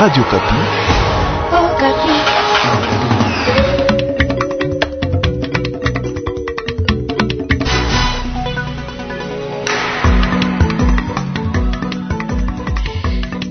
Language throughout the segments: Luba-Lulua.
Radio Okapi. Okapi.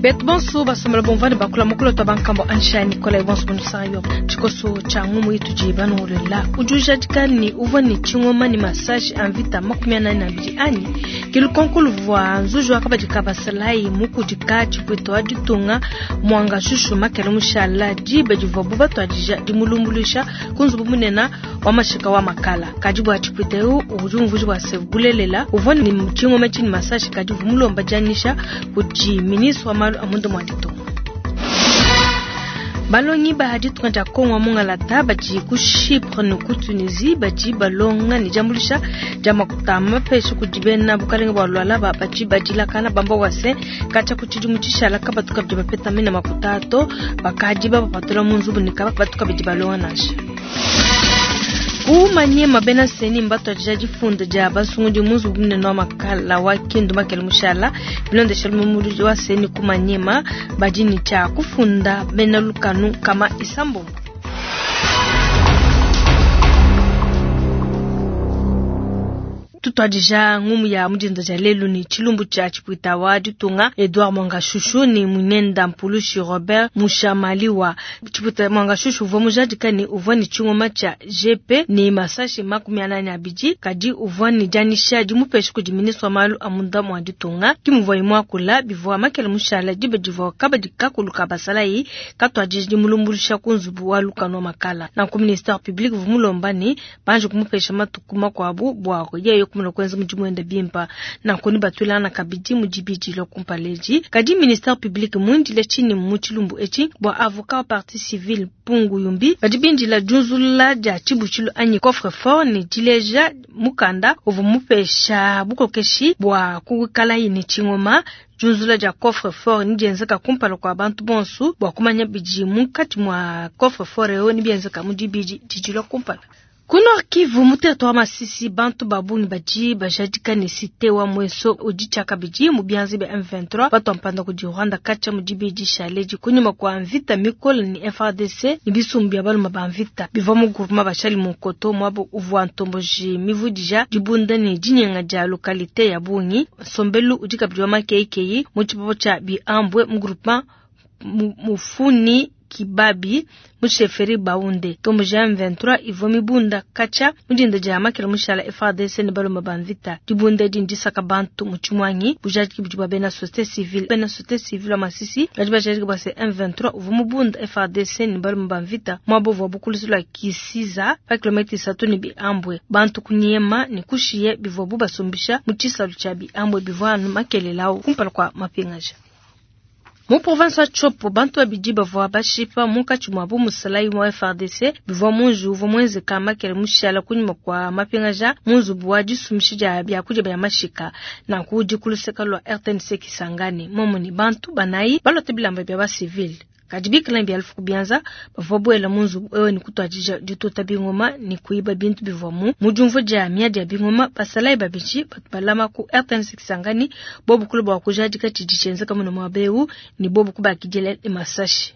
Betu bonso basombela bomvua ne bakula mukolo twa bankambo ansha Nicolas bonso bonusanga yo tshikoso tsha ngumu itudi banongolola udi ujadika ne uvua ne tshingoma ne massage a mvita 42 anyi ke lukonko luvua nzuji wa kabadi ka basalayi mukudika tshipuita wa ditunga Mwanga Shushu Makele mushala diba divuabu batuadija dimulumbuluisha ku nzubu munene wa mashika wa makala. Kadi bua tshipuita eu udi umvuija bua se bulelela uvua ne tshingoma tshi ne masashi kadi uvua mulomba dianyisha kudi ministre wa malu a munda mua ditunga. Balongi ba ditunga dia Kongo wa mungalata badi ku Chypre ne ku Tunisie badi balonga ne diambuluisha dia makuta mapesha kudi bena bukalenge bua Lualaba badi badilakana bamba bua se katshia ku tshidimu tshishala kabatu kabidi bapeta mene makuta to bakadi babapatula mu nzubu ne kabatu kabidi balonga nansha. Ku Maniema bena CENI mbatuadija difunda dia basungudi mu nzubu munene wa makala wa Kindu Makele mushala bilondeshela mumuludi wa CENI ku Maniema badi ne tshia kufunda bena lukanu 600. Tutuadija ngumu ya mudinda dia lelu ne tshilumbu tshia tshipuita wa ditunga Edouard Mwangashushu ne muinenda Mpulushi Robert Mushamaliwa. Tshipuita Mwangashushu uvua mujadika ne uvua ne tshingoma tshia GP ne masashi 42 kadi uvua ne dianyisha dimupesha kudi ministre wa malu a munda mua ditunga. Ke muvuaye muakula bivua Makele mushala diba divua kabadi kakulu ka basalayi katuadija dimulumbuluisha ku nzubu wa lukanu wa makala. Nanku ministère public uvua mulomba ne banji kumupesha matuku makuabu bua yeye kumona kuenza mudimu wende bimpa. Nanku ne batuilangana kabidi mu dibidi lua kumpala edi. Kadi ministère public muindile tshinyi mu tshilumbu etshi bua avocat wa partie civile Mpungu Yumbi badi bindila diunzulula dia tshibutshilu anyi coffre fort ne dileja mukanda uvua mupesha bukokeshi bua kuikalayi ne tshingoma. Diunzula dia coffre fort ne dienzeka kumpala kua bantu bonso bua kumanya bidi munkatshi mua coffre fort eu ne bienzeka mu dibidi didi lua kumpala. Ku Nord Kivu mu territoire wa Masisi bantu ba bungi badi bajadika ne cité wa Mweso udi tshiakabidi mu bianza bia M23 batua mpanda kudi Rwanda katshia mu dibidi shaledi kunyima kua mvita mikole ne FARDC ne bisumbu bia baluma ba mvita bivua mu groupement bashali mu Nkoto muaba uvua ntomboji mivudija dibunda ne dinyenga dia localité ya bungi. Nsombelu udi kabidi wa makeikeyi mu tshipopo tshia Biambwe mu groupement Mufuni Kibabi mu chefferie Baunde. Ntomboji ya M23 ivua mibunda katshia mu dinda dia Makele mushala FARDC ne baluma ba mvita. Dibunda edi ndisaka bantu mu tshimuangi bujadiki budi bua bena société civile. Bena société civile wa Masisi badi bajadika bua se M23 uvua mubunda FARDC ne baluma ba mvita muaba uvua bukulusu lua Kisiza pa kilomètre 3 ne Biambwe. Bantu kunyema ne kushiye bivuabu basumbisha mu tshisalu tshia Biambwe bivua anu makelela au kumpala kua mapingaja. Mu province wa Tshopo bantu babidi bavua bashipa munkatshi muabu musalayi wa FARDC bivua munji uvua muenzeka Makele mushala kunyima kua mapingaja mu nzubu wa disumbisha dia biakudia bia mashika. Nanku udi ku luseke lua RTNC Kisangani momu ne bantu banayi balote bilamba bia ba civil kadi bikala ne bia lufu ku bianza bavua buela mu nzubu ewu ne kutuadija dituta bingoma ne kuiba bintu bivuamu. Mu diumvua dia miadi ya bingoma basalayi babidi batu balama ku RTNC Kisangani bobu kulu bua kujadika tshidi tshienzeka muno muaba eu ne bobu kubakidila ne masashi.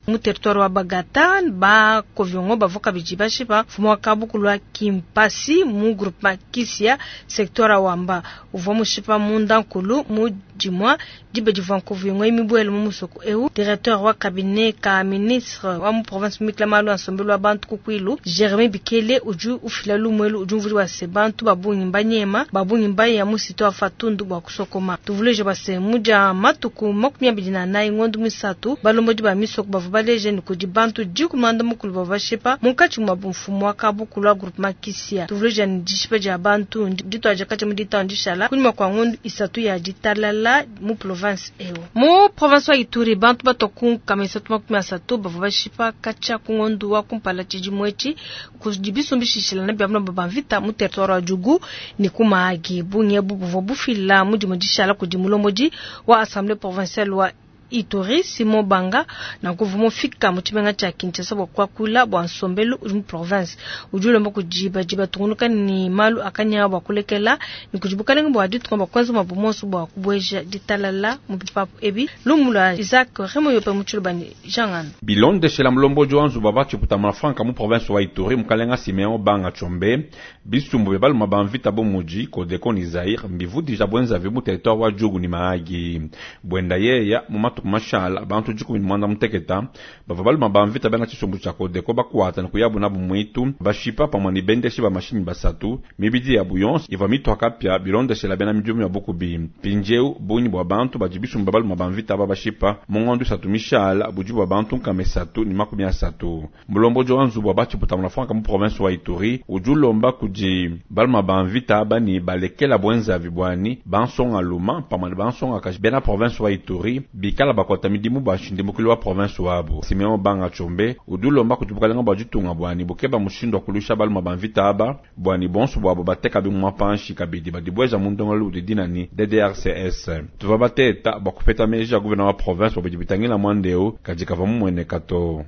Mu territoire wa Bagata ba Koviongo bavua kabidi bashipa mfumu wa kabukulu wa Kimpasi mu groupement Kisia secteur wa Wamba uvua mushipa munda nkulu mu dimua diba divua Koviongo imibuele mu musoko eu. Directeur wa cabinet ka ministre wa mu province Mikla malu a nsombelu wa bantu ku Kwilu Jeremy Bikele udi ufila lumuelu udi umvua se bantu babungi mbanyema babungi mbaya mu sito wa Fatundu bua kusokoma. Tuvuleje base mudia matuku 24 ngondo misatu balombodi ba misoko bavua baleje ne kudi bantu dikumanda mukulu bavua bashipa munkatshi mua mfumu wa kabukulu wa groupement Kisia. Tuvuleje ne dishipa dia bantu dituaja katshia mu ditanu dishala kunyima kua ngondo isatu ya ditalala mu province eu. Mu province wa Ituri bantu batua ku 330 bavua bashipa katshia ku ngondo wa kumpala tshidimu etshi kudi bisumbishishilana bia balomba ba mvita mu territoire wa Djugu ne ku Mahagi. Bungi ebu buvua bufila mudimu dishala kudi mulombodi wa assemblée provinciale wa Ituri Simon Banga nanku uvua mufika mu tshimenga tshia Kinshasa bua kuakula bua nsombelu udi mu province. Udi ulomba kudi badi batungunuka ne malu a kanyawu bua kulekela ne kudi bukalenge bua ditunga bua kuenza muabu muonso bua kubueja ditalala mu bipapu ebi. Lumu lua Isaac Remoyope mu Tshiluba ne Jean Ngando. Bilondeshela mulombodi wa nzubu wa ba tshiputa mafranka mu province wa Ituri, mukalenga Simeon Banga Tshombe, bisumbu bia baluma ba mvita bu mudi Codeco ni Zaire mbivudija buenzavi mu territoire wa Djugu ni Mahagi. Buenda yeya, mu matuku mashala, bantu dikumi ni muanda muteketa bavua baluma ba mvita bena tshisumbu tshia Codeco bakuata ne kuyabu nabu muitu, bashipa pamue ni bendeshi ba mashinyi basatu. Mibidi yabu yonso ivua mitua kapia bilondeshela bena midimu ya bukubi. Mpindieu bungi bua bantu badi bisumbu bia baluma ba mvita aba bashipa mu ngondo isatu mishala budi bua bantu 330. Mulombodi wa nzubu wa ba tshiputa muna mu province wa Ituri udi ulomba kudi baluma ba mvita aba ni balekela buenzavi buani bansonga luma pamue ne bansonga kaji bena province wa Ituri bikala bakuata midimu bua nshindimukili wa province wabu. Simeon Banga Tshombe udi ulomba kudi bukalenga bua ditunga buani bukeba mushindu wa kuluisha baluma ba mvita aba buani bonso buabo bateka bimuma panshi kabidi badibueja mu ndongoluelu udi dina ni DDRCS. Tuvua bateta bua kupeta meji a gouverneur wa province bua bidi bitangila muanda eu kadi kavua mumueneka to.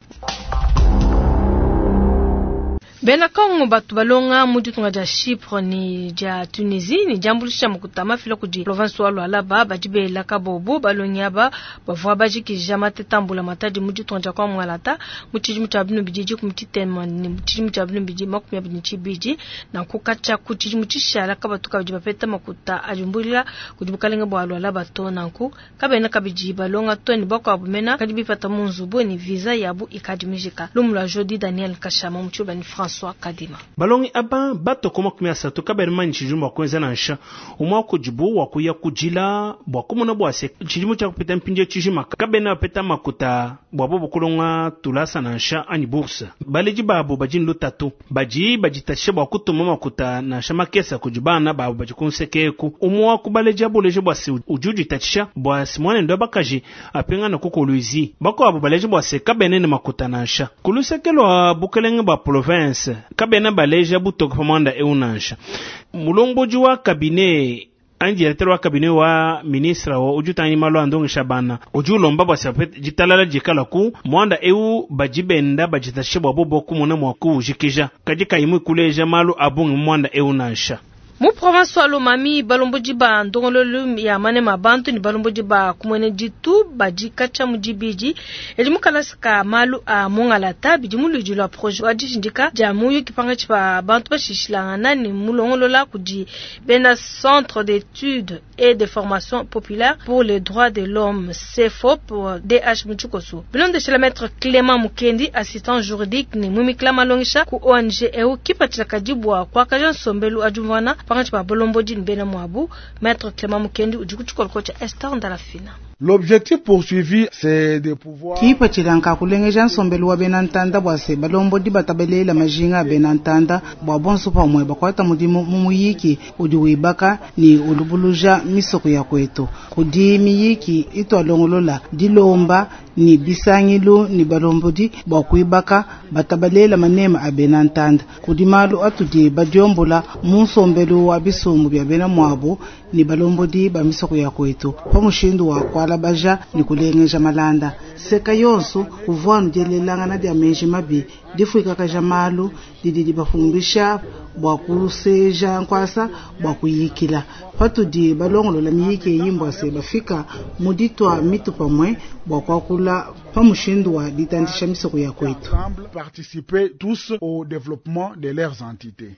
Bena Kongo batu balonga mu ditunga dia Chypre ne dia Tunisie ne diambuluisha makuta mafila kudi province wa Lualaba badi bela kabobo balongi aba bavua bajikija mateta mbula matadi mu ditunga dia kwa Mwangalata mu tshidimu tshia binu bidi dikumi tshitema ne mu tshidimu tshia binu bidi makumi abidi ne tshibidi nanku katshia ku tshidimu tshishala kabatu kabidi bapeta makuta adimbulila kudi bukalenge bua Lualaba to nanku kabena kabidi balonga to ne bakuabu mena kadi bipata mu nzubu ne visa yabu ikadi mijika. Lumu lua Jody Daniel Kashama mu tshiluba ne François Kadima. Balongi aba batoko 30 kabena manyi tshidimu bua kuenza nansha umwe kudibu wa kuya kujila bua kumona bua se tshidimu tshia kupita mpindieu tshijima kabena bapeta makuta bua bobo kulonga tulasa nansha anyi bourse. Baledi babo badi ne lutatu badi baditatshisha bua kutuma makuta nansha makesa kudi bana babo badi kunsekeku. Umwe wa ku baledi abuleje bua se udi uditatshisha bua se mwanende wa bakaji apingane ku Kolwezi. Bakuabo baleje bua se kabena ne makuta nansha ku luseke lua bukelenge bua province kabena baleja butoke pa muanda eu nansha. Mulombodi wa cabinet anyi directeur wa cabinet wa ministre wa udi utangila malu a ndongesha bana udi ulomba bua se ditalala dikala ku muanda eu badi benda baditatshisha bua bobo kumona mua kuwujikija kadi kayi muikuleja malu a bungi mu muanda eu nansha. Mu province wa Lomami balombodi ba ndongoluelu ya manema bantu ne balombodi ba kumwene ditu badi katshia mu dibidi edi mu kalasa ka malu a Mongalata bidi mu luidi lua projet wa dishindika dia muyuki pankatshi pa bantu bashishilangana ne mulongolola kudi bena Centre d'études et de formation populaire pour les droits de l'homme CFOP DH mu tshikoso. Bilondeshela maître Clément Mukendi assistant juridique ne mumikila malongesha ku ONG eu kipatshila kadi bua kuakaja nsombelu adiumvuana pankatshi pa balombodi ne bena muabu. Maître Clément Mukendi udi ku tshikoloko tshia Esther Ndalafina. L'objectif poursuivi, c'est de pouvoir Kipatshila nka kulengeja nsombelu wa bena ntanda bua se balombodi batabelela majinga a bena ntanda bua bonso pamue bakuata mudimu mu muyiki udi wibaka ni ulubuluja misoko ya kwetu. Kudi miyiki itwalongolola dilomba ni bisangilu ni balombodi bua kuibaka batabalela manema a bena ntanda. Kudi malu atudi badiombola mu nsombelu wa bisumbu bia bena muabu ni balombodi ba misoko ya kwetu pa mushindu wa kualabaja ni kulengeja malanda. Seka yonso kuvua dielelangana dia meji mabi difuikakaja malu didi dibafumbisha bua kuseja nkwasa bua kuyikila. Patudi balongolola miyiki eyi mbua se bafika mu ditua mitu pamue bua kuakula pa mushindu wa ditandisha misoko ya kwetu. Ensemble, participer tous au développement de leurs entités.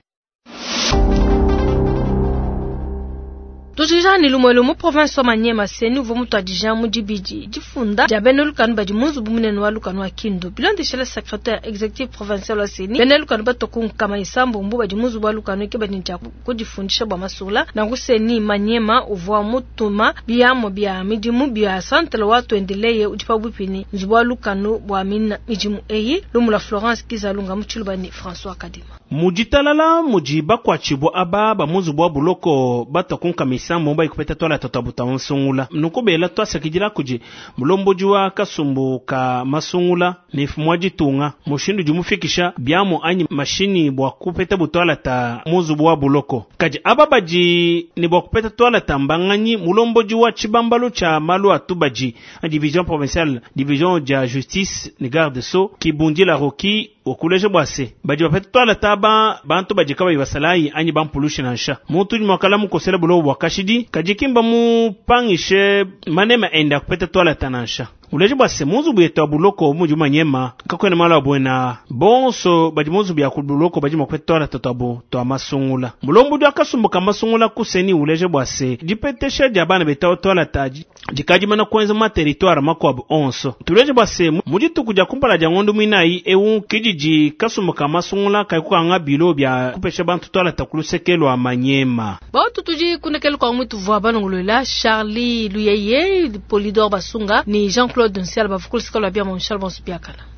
Tujija ni lumwe mu province wa Maniema seni uvua mutuadija mu dibidi difunda dia bena lukanu badi mu nzubu munene wa lukanu wa Kindu. Bilondeshela secrétaire exécutif provincial wa seni bena lukanu batoku nkama isambombo badi mu nzubu wa lukanu ke badi ntshia kudifundisha bua masula. Nanku seni Maniema uvua mutuma biamo bia midimu bia centre wa tuendeleye udi pabuipi ne nzubu wa lukanu bua mina midimu eyi. Lumu lua Florence Kizalunga mu Tshiluba ne François Kadima. Muditalala mudi bakuatshibua aba ba mu nzubu wa buloko batoku nkama isambombo ayi kupeta twalata twabu twa masungula. Nunku bela twasakidila kudi mulombodi wa kasumbu ka masungula ne mfumu wa ditunga mushindu udi mufikisha biamu anyi mashinyi bua kupeta butwalata mu nzubu wa buloko. Kadi aba badi ne bua kupeta twalata mbanganyi? Mulombodi wa tshibambalu tshia malu a tubadi, division provinciale, division dia justice ne garde sceaux, Kibundila Rocky wakuleja bua se badi bapeta twalata aba bantu badi kabayi basalayi anyi bampulushi nansha. Muntu udi muakala mukosela buloko bua kashidi, kadi ki mbamupangishe manema ende a kupeta twalata nansha. Uleje bua se mu nzubu yetu ya buloko mudi manyema kakuena malu a buena, bonso badi mu nzubu ya ku buloko badi mua kupeta twalata tuabu tua masungula. Mulombodi wa kasumbu ka masungula ku CENI uleje bua se dipetesha dia bana betu twalata dikadi mana kuenza mu territoire makuabu onso. Tuleje bua se mu dituku dia kumpala dia ngondo muinayi eu kididi kasumbu ka masungula kaikukanga bilo bia kupesha bantu twalata ku luseke lua manyema. Bautu tudi kunekele kwa mutu vua balongolola Charlie Luyeye, Polydor Basunga ni Jean-Claude Nsiala bavukulusika lua bia Monchal Bonsupiakala.